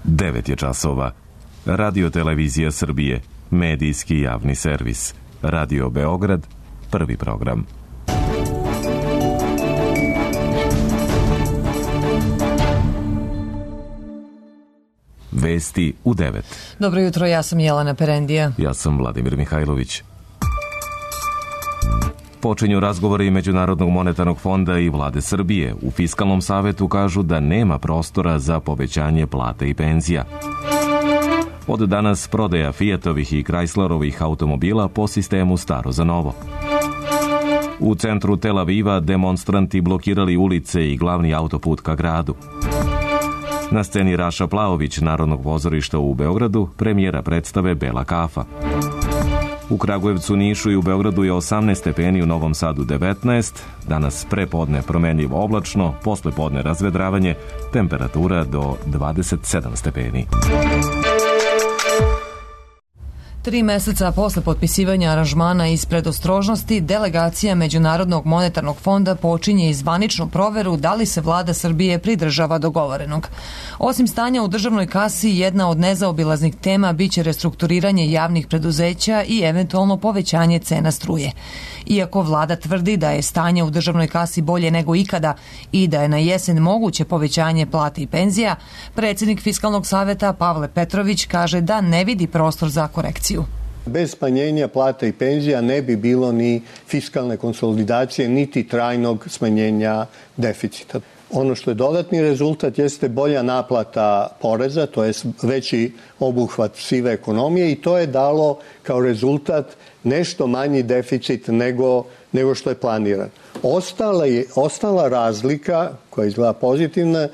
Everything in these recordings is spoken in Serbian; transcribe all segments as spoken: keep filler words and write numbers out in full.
devet je časova. Radio Televizija Srbije, medijski javni servis. Radio Beograd, prvi program. Vesti u devet. Dobro jutro, ja sam Jelena Perendija. Ja sam Vladimir Mihajlović. Počinju razgovori Međunarodnog monetarnog fonda i vlade Srbije. U Fiskalnom savetu kažu da nema prostora za povećanje plata i penzija. Od danas prodaja Fiatovih i Chryslerovih automobila po sistemu staro za novo. U centru Tel Aviva demonstranti blokirali ulice i glavni autoput ka gradu. Na sceni Raša Plaović Narodnog pozorišta u Beogradu premijera predstave Bela kafa. U Kragujevcu, Nišu i u Beogradu je osamnaest stepeni, u Novom Sadu devetnaest, danas prepodne promenljivo oblačno, posle podne razvedravanje, temperatura do dvadeset sedam stepeni. Tri meseca posle potpisivanja aranžmana iz predostrožnosti, delegacija Međunarodnog monetarnog fonda počinje i zvaničnu proveru da li se vlada Srbije pridržava dogovorenog. Osim stanja u državnoj kasi, jedna od nezaobilaznih tema biće restrukturiranje javnih preduzeća i eventualno povećanje cena struje. Iako vlada tvrdi da je stanje u državnoj kasi bolje nego ikada i da je na jesen moguće povećanje plata i penzija, predsjednik Fiskalnog saveta Pavle Petrović kaže da ne vidi prostor za korekciju. Bez smanjenja plata i penzija ne bi bilo ni fiskalne konsolidacije, niti trajnog smanjenja deficita. Ono što je dodatni rezultat jeste bolja naplata poreza, to je veći obuhvat sive ekonomije i to je dalo kao rezultat nešto manji deficit nego, nego što je planiran. Ostala, je, ostala razlika, koja izgleda pozitivna,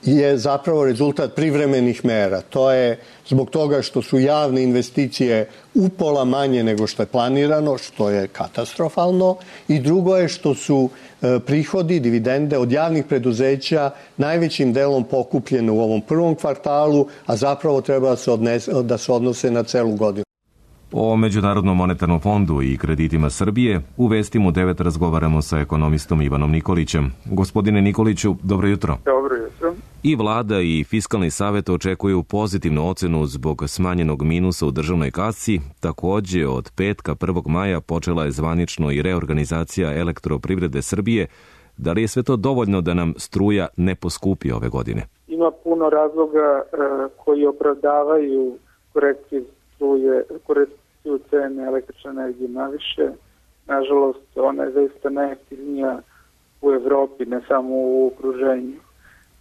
je zapravo rezultat privremenih mera. To je zbog toga što su javne investicije upola manje nego što je planirano, što je katastrofalno, i drugo je što su e, prihodi, dividende od javnih preduzeća najvećim delom pokupljene u ovom prvom kvartalu, a zapravo treba da se, odnese, da se odnose na celu godinu. O Međunarodnom monetarnom fondu i kreditima Srbije u Vestima u devet razgovaramo sa ekonomistom Ivanom Nikolićem. Gospodine Nikoliću, dobro jutro. Dobro jutro. I vlada i Fiskalni savet očekuju pozitivnu ocenu zbog smanjenog minusa u državnoj kasi. Takođe, od petka prvog maja počela je zvanično i reorganizacija Elektroprivrede Srbije. Da li je sve to dovoljno da nam struja ne poskupi ove godine? Ima puno razloga e, koji opravdavaju korekciju struje, korekciju cene električne energije naviše. Nažalost, ona je zaista najjeftinija u Evropi, ne samo u okruženju.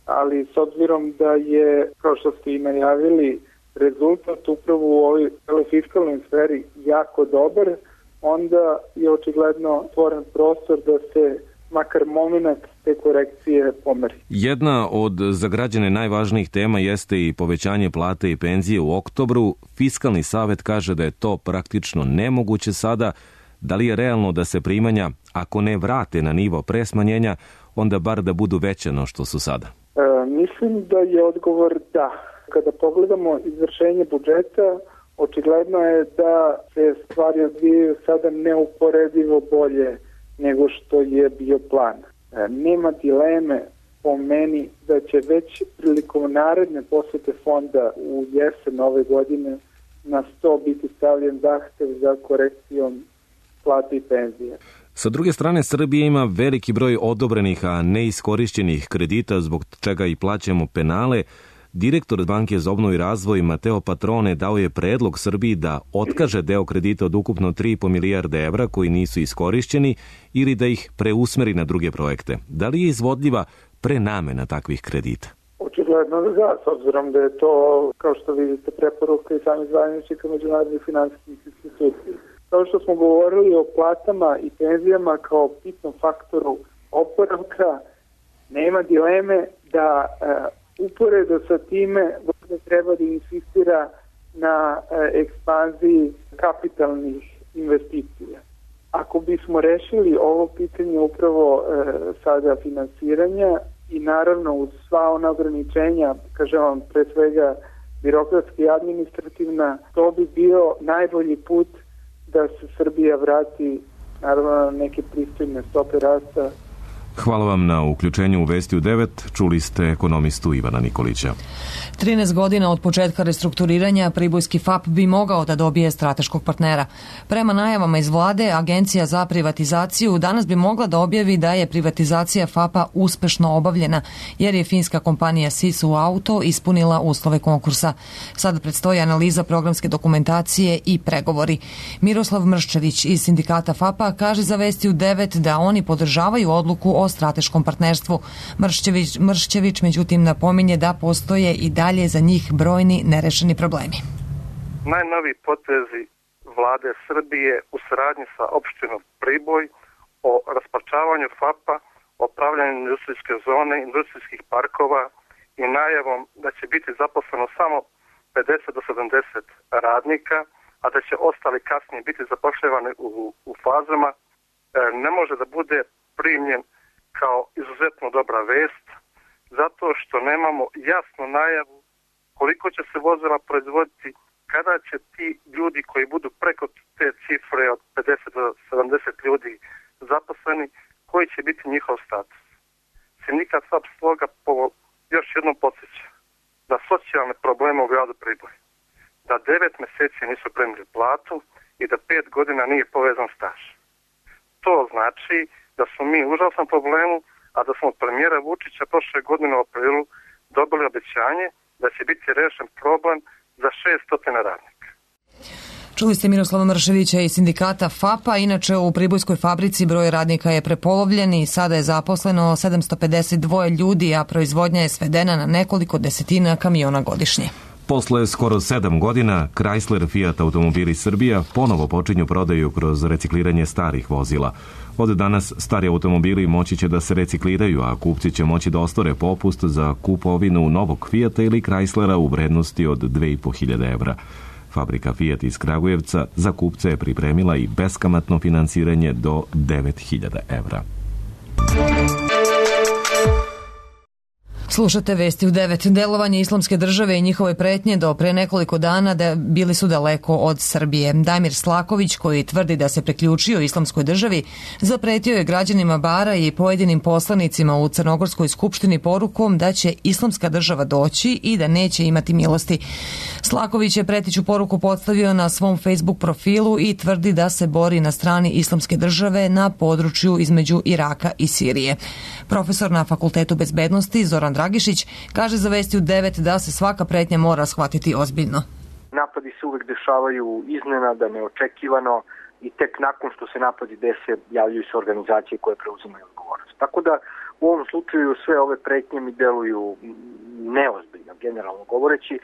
Ali s obzirom da je, kao što ste i najavili, rezultat upravo u ovoj fiskalnoj sferi jako dobar, onda je očigledno stvoren prostor da se makar moment te korekcije pomeri. Jedna od za građane najvažnijih tema jeste i povećanje plate i penzije u oktobru. Fiskalni savet kaže da je to praktično nemoguće sada. Da li je realno da se primanja, ako ne vrate na nivo pre smanjenja, onda bar da budu veće no što su sada? E, mislim da je odgovor da. Kada pogledamo izvršenje budžeta, očigledno je da se stvari odvijaju sada neuporedivo bolje nego što je bio plan. E, nema dileme po meni da će već prilikom naredne posete fonda u jesen ove godine na sto biti stavljen zahtev za korekcijom plata i penzija. Sa druge strane, Srbija ima veliki broj odobrenih, a neiskorišćenih kredita, zbog čega i plaćamo penale. Direktor Banke za obnovu i razvoj Mateo Patrone dao je predlog Srbiji da otkaže deo kredita od ukupno tri i po milijarde evra koji nisu iskorišćeni ili da ih preusmeri na druge projekte. Da li je izvodljiva prenamena takvih kredita? Očigledno da, s obzirom da je to, kao što vidite, preporuka i sami zvaničnika međunarodnih finansijskih institucija. Kao što smo govorili o platama i penzijama kao bitnom faktoru oporavka, nema dileme da e, uporedo sa time da treba da insistira na e, ekspanziji kapitalnih investicija. Ako bismo rešili ovo pitanje upravo e, sada finansiranja i naravno uz sva ona ograničenja, kažem vam pre svega birokratski i administrativna, to bi bio najbolji put da se Srbija vrati naravno na neke pristojne stope rasta Hvala vam na uključenju u Vesti u devet. Čuli ste ekonomistu Ivana Nikolića. trinaest godina od početka restrukturiranja Pribojski F A P bi mogao da dobije strateškog partnera. Prema najavama iz vlade, Agencija za privatizaciju danas bi mogla da objavi da je privatizacija F A P-a uspešno obavljena, jer je finska kompanija Sisu Auto ispunila uslove konkursa. Sada predstoji analiza programske dokumentacije i pregovori. Miroslav Mrščević iz sindikata F A P-a kaže za Vesti u devet da oni podržavaju odluku o strateškom partnerstvu. Mrščević, Mrščević međutim napominje da postoje i dalje za njih brojni nerešeni problemi. Najnoviji potezi vlade Srbije u saradnji sa opštinom Priboj o rasparčavanju F A P-a, o pravljanju industrijske zone, industrijskih parkova i najavom da će biti zaposleno samo pedeset do sedamdeset radnika, a da će ostali kasnije biti zapošljavani u, u fazama, ne može da bude primljen kao izuzetno dobra vest, zato što nemamo jasnu najavu koliko će se vozila proizvoditi, kada će ti ljudi koji budu preko te cifre od pedeset do sedamdeset ljudi zaposleni, koji će biti njihov status. Sindikat F A P stoga po još jednom podsjeća da socijalne probleme u gradu Priboj, da devet meseci nisu primili platu i da pet godina nije povezan staž. To znači da smo mi u užasnom problemu, a da smo od premijera Vučića prošle godine u aprilu dobili obećanje da će biti rešen problem za šesto radnika. Čuli ste Miroslava Mrševića iz sindikata F A P-a. Inače, u Pribojskoj fabrici broj radnika je prepolovljen i sada je zaposleno sedamsto pedeset dva ljudi, a proizvodnja je svedena na nekoliko desetina kamiona godišnje. Posle skoro sedam godina, Chrysler Fiat Automobili Srbija ponovo počinju prodaju kroz recikliranje starih vozila. Od danas stari automobili moći će da se recikliraju, a kupci će moći da ostvare popust za kupovinu novog Fiata ili Chryslera u vrednosti od dve i po hiljade evra. Fabrika Fiat iz Kragujevca za kupce je pripremila i beskamatno finansiranje do devet hiljada evra. Slušate Vesti u devet. Delovanje Islamske države i njihove pretnje do pre nekoliko dana da bili su daleko od Srbije. Damir Slaković, koji tvrdi da se priključio Islamskoj državi, zapretio je građanima Bara i pojedinim poslanicima u Crnogorskoj skupštini porukom da će Islamska država doći i da neće imati milosti. Slaković je pretiću poruku postavio na svom Facebook profilu i tvrdi da se bori na strani Islamske države na području između Iraka i Sirije. Profesor na Fakultetu bezbednosti Zoran Dragišić kaže za Vesti u devet da se svaka pretnja mora shvatiti ozbiljno. Napadi se uvek dešavaju iznenada, neočekivano i tek nakon što se napadi dese javljaju se organizacije koje preuzimaju odgovornost. Tako da u ovom slučaju sve ove pretnje mi deluju neozbiljno, generalno govoreći,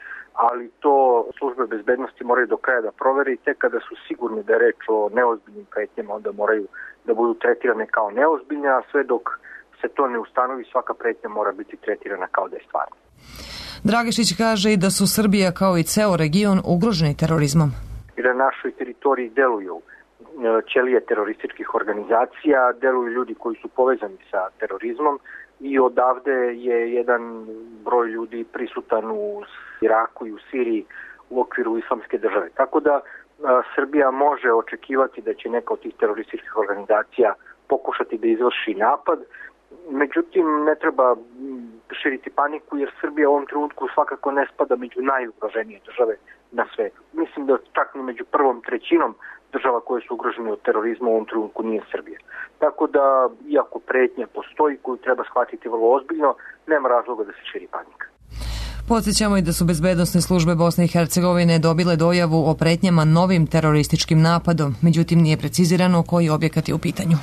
ali to službe bezbednosti moraju do kraja da provere i tek kada su sigurni da je reč o neozbiljnim pretnjama, onda moraju da budu tretirane kao neozbiljne, a sve dok se to ne ustanovi, svaka pretnja mora biti tretirana kao da je stvarna. Dragišić kaže i da su Srbija kao i ceo region ugroženi terorizmom. I na našoj teritoriji deluju ćelije terorističkih organizacija, deluju ljudi koji su povezani sa terorizmom i odavde je jedan broj ljudi prisutan u Iraku i u Siriji u okviru Islamske države. Tako da Srbija može očekivati da će neka od tih terorističkih organizacija pokušati da izvrši napad. Međutim, ne treba širiti paniku jer Srbija u ovom trenutku svakako ne spada među najugroženije države na svetu. Mislim da čak ni među prvom trećinom država koje su ugrožene od terorizma u ovom trenutku nije Srbija. Tako da, iako pretnja postoji koju treba shvatiti vrlo ozbiljno, nema razloga da se širi panika. Podsjećamo i da su bezbednosne službe Bosne i Hercegovine dobile dojavu o pretnjama novim terorističkim napadom, međutim nije precizirano koji objekat je u pitanju.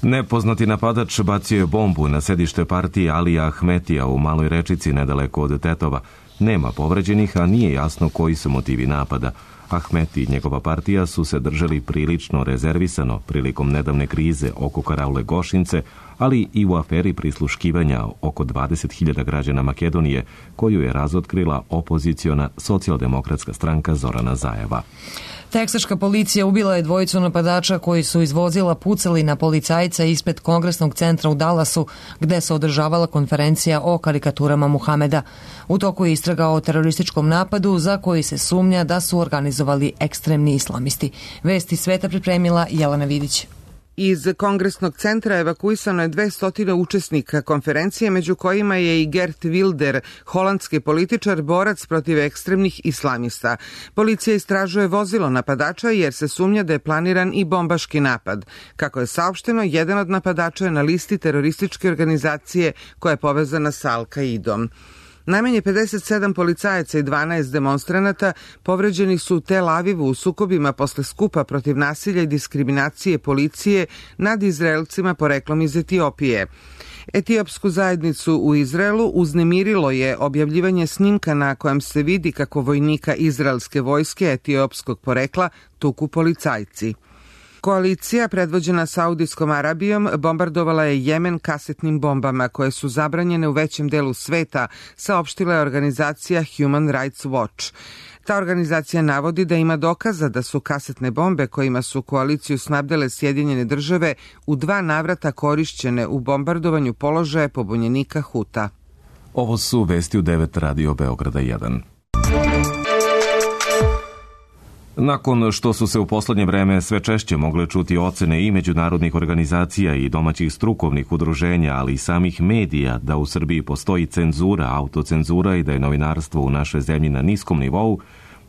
Nepoznati napadač bacio je bombu na sedište partije Alija Ahmetija u Maloj Rečici nedaleko od Tetova. Nema povređenih, a nije jasno koji su motivi napada. Ahmeti i njegova partija su se držali prilično rezervisano prilikom nedavne krize oko Karaule Gošince, ali i u aferi prisluškivanja oko dvadeset hiljada građana Makedonije, koju je razotkrila opoziciona socijaldemokratska stranka Zorana Zajeva. Teksaška policija ubila je dvojicu napadača koji su iz vozila pucali na policajca ispred Kongresnog centra u Dallasu, gde se održavala konferencija o karikaturama Muhameda. U toku je istraga o terorističkom napadu za koji se sumnja da su organizovali ekstremni islamisti. Vesti sveta pripremila Jelena Vidić. Iz Kongresnog centra evakuisano je dvesta učesnika konferencije, među kojima je i Geert Wilder, holandski političar, borac protiv ekstremnih islamista. Policija istražuje vozilo napadača jer se sumnja da je planiran i bombaški napad. Kako je saopšteno, jedan od napadača je na listi terorističke organizacije koja je povezana sa Al-Kaidom. Najmanje pedeset sedam policajaca i dvanaest demonstranata povređeni su u Tel Avivu u sukobima posle skupa protiv nasilja i diskriminacije policije nad Izraelcima poreklom iz Etiopije. Etiopsku zajednicu u Izraelu uznemirilo je objavljivanje snimka na kojem se vidi kako vojnika izraelske vojske etiopskog porekla tuku policajci. Koalicija, predvođena Saudijskom Arabijom, bombardovala je Jemen kasetnim bombama koje su zabranjene u većem delu sveta, saopštila je organizacija Human Rights Watch. Ta organizacija navodi da ima dokaza da su kasetne bombe kojima su koaliciju snabdele Sjedinjene države u dva navrata korišćene u bombardovanju položaja pobunjenika Huta. Ovo su vesti u devet Radio Beograda jedan. Nakon što su se u poslednje vreme sve češće mogle čuti ocene i međunarodnih organizacija i domaćih strukovnih udruženja, ali i samih medija da u Srbiji postoji cenzura, autocenzura i da je novinarstvo u našoj zemlji na niskom nivou,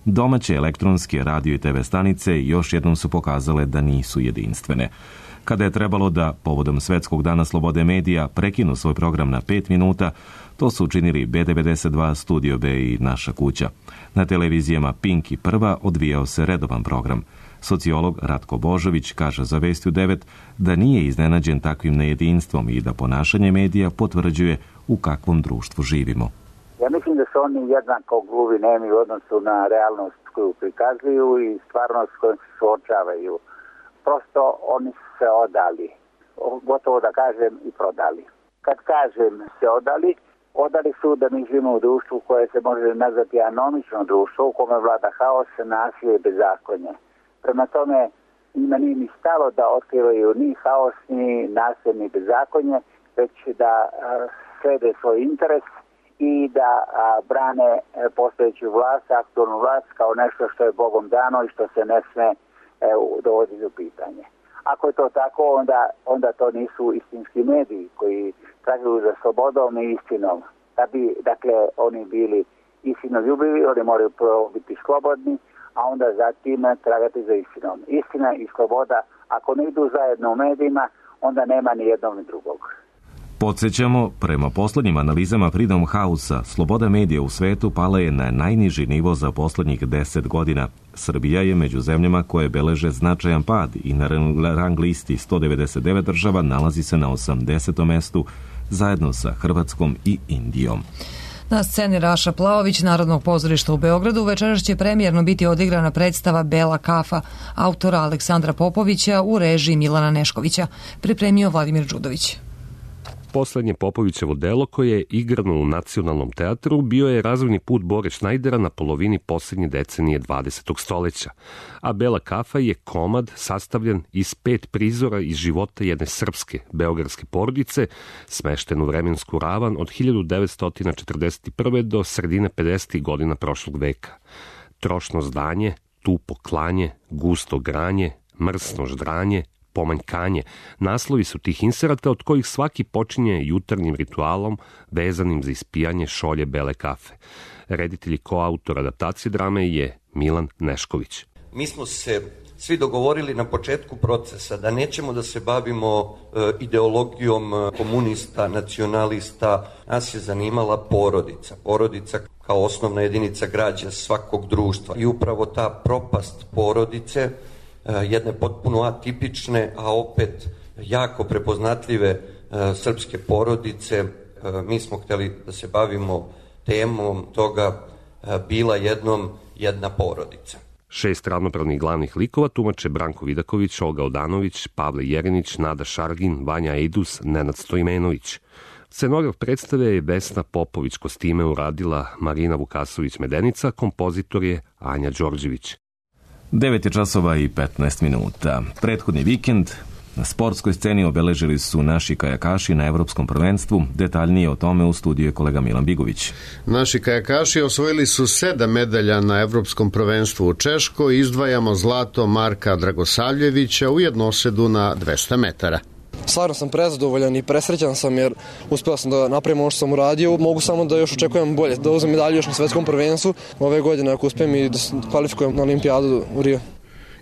domaće elektronske radio i te ve stanice još jednom su pokazale da nisu jedinstvene. Kada je trebalo da, povodom Svetskog dana slobode medija, prekinu svoj program na pet minuta, to su učinili be devedeset dva, Studio B i Naša kuća. Na televizijama Pink i Prva odvijao se redovan program. Sociolog Ratko Božović kaže za Vesti u devet da nije iznenađen takvim nejedinstvom i da ponašanje medija potvrđuje u kakvom društvu živimo. Ja mislim da su oni jednako gluvi, nemi u odnosu na realnost koju prikazuju i stvarnost kojom se suočavaju. Prosto oni su se odali, gotovo da kažem i prodali. Kad kažem se odali, odali su da mi živimo u društvu koje se može nazvati anomično društvo u kome vlada haos, nasilje i bezakonje. Prema tome, njima nije ni stalo da otkrivaju ni haos, ni nasilje, ni bezakonje, već da a, slede svoj interes i da a, brane a, postojeću vlast, aktualnu vlast kao nešto što je Bogom dano i što se ne sme e, dovoditi u pitanje. Ako je to tako, onda, onda to nisu istinski mediji koji traguju za slobodom i istinom. Da bi, dakle, oni bili istinoljubivi, oni moraju prvo biti slobodni, a onda zatim tragati za istinom. Istina i sloboda, ako ne idu zajedno u medijima, onda nema ni jednog ni drugog. Podsjećamo, prema poslednjim analizama Freedom House-a, sloboda medija u svetu pala je na najniži nivo za poslednjih deset godina. Srbija je među zemljama koje beleže značajan pad i na rang listi sto devedeset devet država nalazi se na osamdesetom mestu zajedno sa Hrvatskom i Indijom. Na sceni Raša Plaović Narodnog pozorišta u Beogradu večeras će premijerno biti odigrana predstava Bela kafa autora Aleksandra Popovića u režiji Milana Neškovića. Pripremio Vladimir Đudović. Poslednje Popovićevo delo koje je igrano u Nacionalnom teatru bio je razvojni put Bore Šnajdera na polovini poslednje decenije dvadesetog stoleća, a Bela kafa je komad sastavljen iz pet prizora iz života jedne srpske beogradske porodice, smešten u vremensku ravan od hiljadu devetsto četrdeset prve do sredine pedesetih godina prošlog veka. Trošno zdanje, tupo klanje, gusto granje, mrsno ždranje, pomanjkanje. Naslovi su tih inserata od kojih svaki počinje jutarnjim ritualom vezanim za ispijanje šolje bele kafe. Reditelj i koautor adaptacije drame je Milan Nešković. Mi smo se svi dogovorili na početku procesa da nećemo da se bavimo e, ideologijom komunista, nacionalista. Nas je zanimala porodica. Porodica kao osnovna jedinica građa svakog društva. I upravo ta propast porodice, jedne potpuno atipične, a opet jako prepoznatljive srpske porodice. Mi smo hteli da se bavimo temom toga bila jednom jedna porodica. Šest ravnopravnih glavnih likova tumače Branko Vidaković, Olga Odanović, Pavle Jerinić, Nada Šargin, Vanja Ejdus, Nenad Stojmenović. Scenograf predstave je Vesna Popović, kostime uradila Marina Vukasović-Medenica, kompozitor je Anja Đorđević. devet je časova i petnaest minuta. Prethodni vikend Na sportskoj sceni obeležili su naši kajakaši na Evropskom prvenstvu. Detaljnije o tome u studiju je kolega Milan Bigović. Naši kajakaši osvojili su sedam medalja na Evropskom prvenstvu u Češkoj. Izdvajamo zlato Marka Dragosavljevića u jednosedu na dvesta metara. Stvarno sam prezadovoljan i presrećan sam jer uspeo sam da napravim ono što sam uradio. Mogu samo da još očekujem bolje, da uzmem medalju još na svetskom prvenstvu ove godine ako uspijem i da kvalifikujem na olimpijadu u Rio.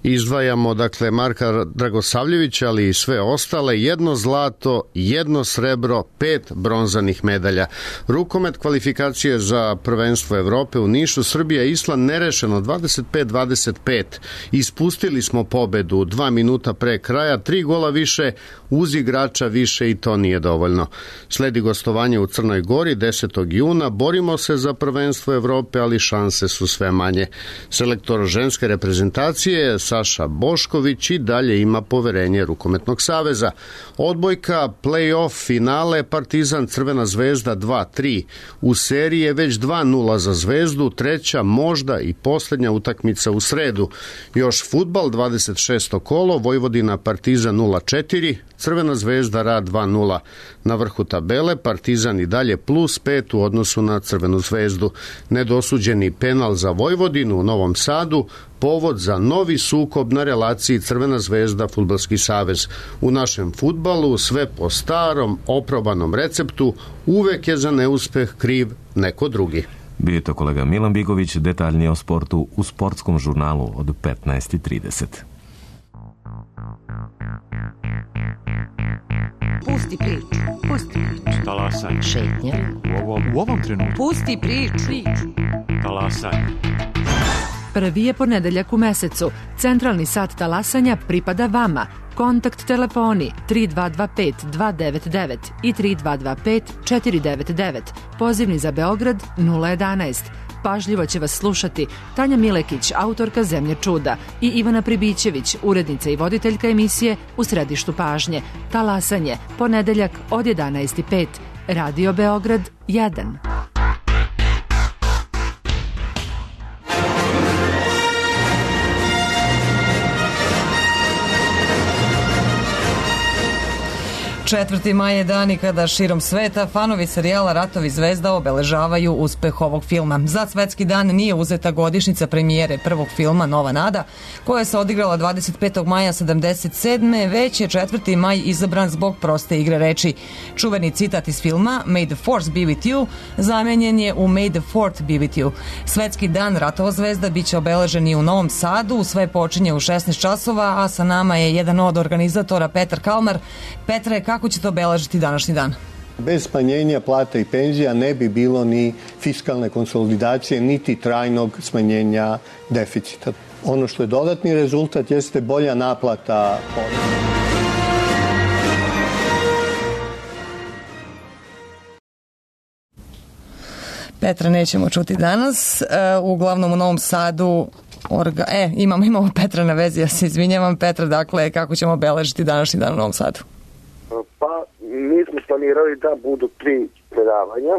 Izdvajamo dakle Marka Dragosavljevića, ali i sve ostale, jedno zlato, jedno srebro, pet bronzanih medalja. Rukomet kvalifikacije za prvenstvo Evrope u Nišu, Srbija i Island nerešeno dvadeset pet dvadeset pet. Ispustili smo pobedu dva minuta pre kraja, tri gola više, uz igrača više i to nije dovoljno. Sledi gostovanje u Crnoj Gori desetog juna, borimo se za prvenstvo Evrope, ali šanse su sve manje. Selektor ženske reprezentacije Saša Bošković i dalje ima poverenje Rukometnog saveza. Odbojka, play-off finale, Partizan Crvena zvezda dva tri. U seriji je već dva nula za Zvezdu, treća možda i posljednja utakmica u sredu. Još fudbal, dvadeset šesto kolo, Vojvodina Partizan nula četiri, Crvena zvezda Rad dva nula. Na vrhu tabele Partizan i dalje plus pet u odnosu na Crvenu zvezdu. Nedosuđeni penal za Vojvodinu u Novom Sadu, povod za novi sukob na relaciji Crvena zvezda Fudbalski savez. U našem fudbalu sve po starom, oprobanom receptu, uvek je za neuspeh kriv neko drugi. Bio je to kolega Milan Bigović, detaljnije o sportu u sportskom žurnalu od petnaest i trideset. Pusti priču, pusti priču. Talasaj. Šetnja. U ovom, u ovom trenutku. Pusti priču. Talasaj. Prvi je ponedeljak u mesecu. Centralni sat talasanja pripada vama. Kontakt telefoni tri dva dva pet dva devet devet i tri dva dva pet četiri devet devet. Pozivni za Beograd nula jedanaest. Pažljivo će vas slušati Tanja Milekić, autorka Zemlje čuda, i Ivana Pribićević, urednica i voditeljka emisije U središtu pažnje. Talasanje, ponedeljak od jedanaest i pet. Radio Beograd jedan. četvrti maj je dan i kada širom sveta fanovi serijala Ratovi zvezda obeležavaju uspeh ovog filma. Za svetski dan nije uzeta godišnjica premijere prvog filma Nova nada, koja se odigrala dvadeset petog maja sedamdeset sedme, već je četvrti maj izabran zbog proste igre reči. Čuveni citat iz filma May the Force be with you zamenjen je u May the Fourth be with you. Svetski dan Ratova zvezda biće obeležen i u Novom Sadu, sve počinje u šesnaest časova, a sa nama je jedan od organizatora, Petar Kalmar. Petre, kako ćete obeležiti današnji dan? Bez smanjenja plata i penzija ne bi bilo ni fiskalne konsolidacije, niti trajnog smanjenja deficita. Ono što je dodatni rezultat jeste bolja naplata poreza. Petra nećemo čuti danas. Uglavnom u Novom Sadu Orga... E, imamo, imamo Petra na vezi, ja se izvinjavam. Petra, dakle, kako ćemo obeležiti današnji dan u Novom Sadu? Pa, mi smo planirali da budu tri predavanja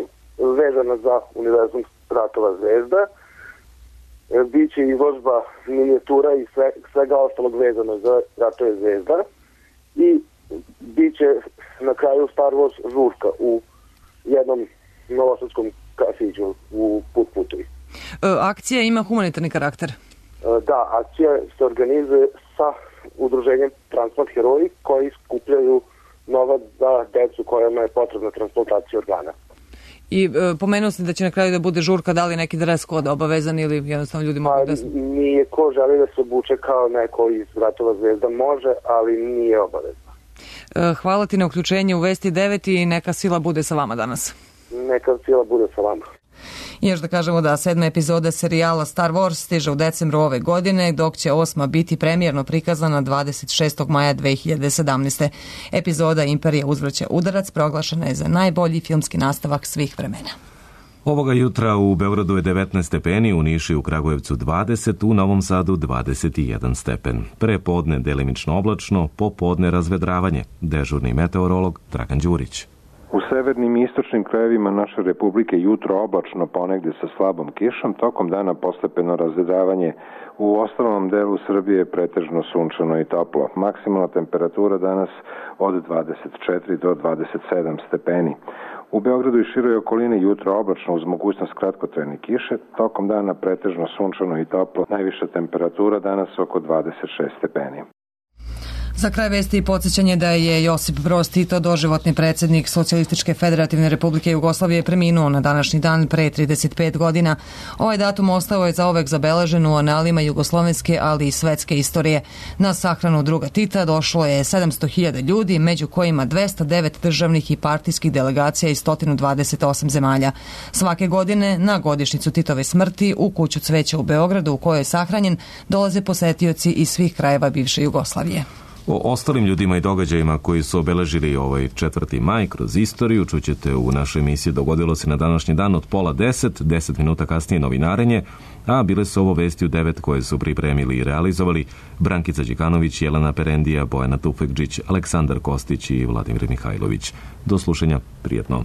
vezana za univerzum Ratova zvezda. Biće izložba minijatura i sve, svega ostalog vezano za Ratove zvezda. I biće na kraju Star Wars žurka u jednom novosadskom kafiću u Put-Putovi. Akcija ima humanitarni karakter? Da, akcija se organizuje sa udruženjem Transplant heroji koji skupljaju novac za decu kojima je potrebna transplantacija organa. I e, pomenuo sam da će na kraju da bude žurka, da li neki dress code obavezan ili jednostavno ljudi mogu da... Nije, ko želi da se obuče kao neko iz Ratova zvezda može, ali nije obavezno. E, hvala ti na uključenje u Vesti devet i neka sila bude sa vama danas. Neka sila bude sa vama. I još da kažemo da sedma epizoda serijala Star Wars stiže u decembru ove godine, dok će osma biti premijerno prikazana dvadeset šestog maja dve hiljade sedamnaeste. Epizoda Imperija uzvraća udarac proglašena je za najbolji filmski nastavak svih vremena. Ovoga jutra u Beogradu je devetnaest stepeni, u Nišu i u Kragujevcu dvadeset, u Novom Sadu dvadeset jedan stepen. Pre podne delimično oblačno, popodne razvedravanje. Dežurni meteorolog Dragan Đurić. U severnim i istočnim krajevima naše republike jutro oblačno, ponegde sa slabom kišom, tokom dana postepeno razredavanje. U ostalom delu Srbije je pretežno sunčano i toplo. Maksimalna temperatura danas od dvadeset četiri do dvadeset sedam stepeni. U Beogradu i široj okolini jutro oblačno uz mogućnost kratkotrajne kiše, tokom dana pretežno sunčano i toplo, najviša temperatura danas oko dvadeset šest stepeni. Za kraj vesti i podsjećanje da je Josip Broz Tito, doživotni predsjednik Socijalističke federativne republike Jugoslavije, preminuo na današnji dan pre trideset pet godina. Ovaj datum ostao je zaovek zabeležen u analima jugoslovenske, ali i svetske istorije. Na sahranu druga Tita došlo je sedamsto hiljada ljudi, među kojima dvesta devet državnih i partijskih delegacija iz sto dvadeset osam zemalja. Svake godine, na godišnjicu Titove smrti, u kuću cveća u Beogradu, u kojoj je sahranjen, dolaze posetioci iz svih krajeva bivše Jugoslavije. O ostalim ljudima i događajima koji su obeležili ovaj četvrti maj kroz istoriju čućete u našoj emisiji Dogodilo se na današnji dan od pola deset, deset minuta kasnije novinarenje, a bile su ovo vesti u devet koje su pripremili i realizovali Brankica Đikanović, Jelena Perendija, Bojana Tufekđić, Aleksandar Kostić i Vladimir Mihajlović. Do slušanja, prijetno.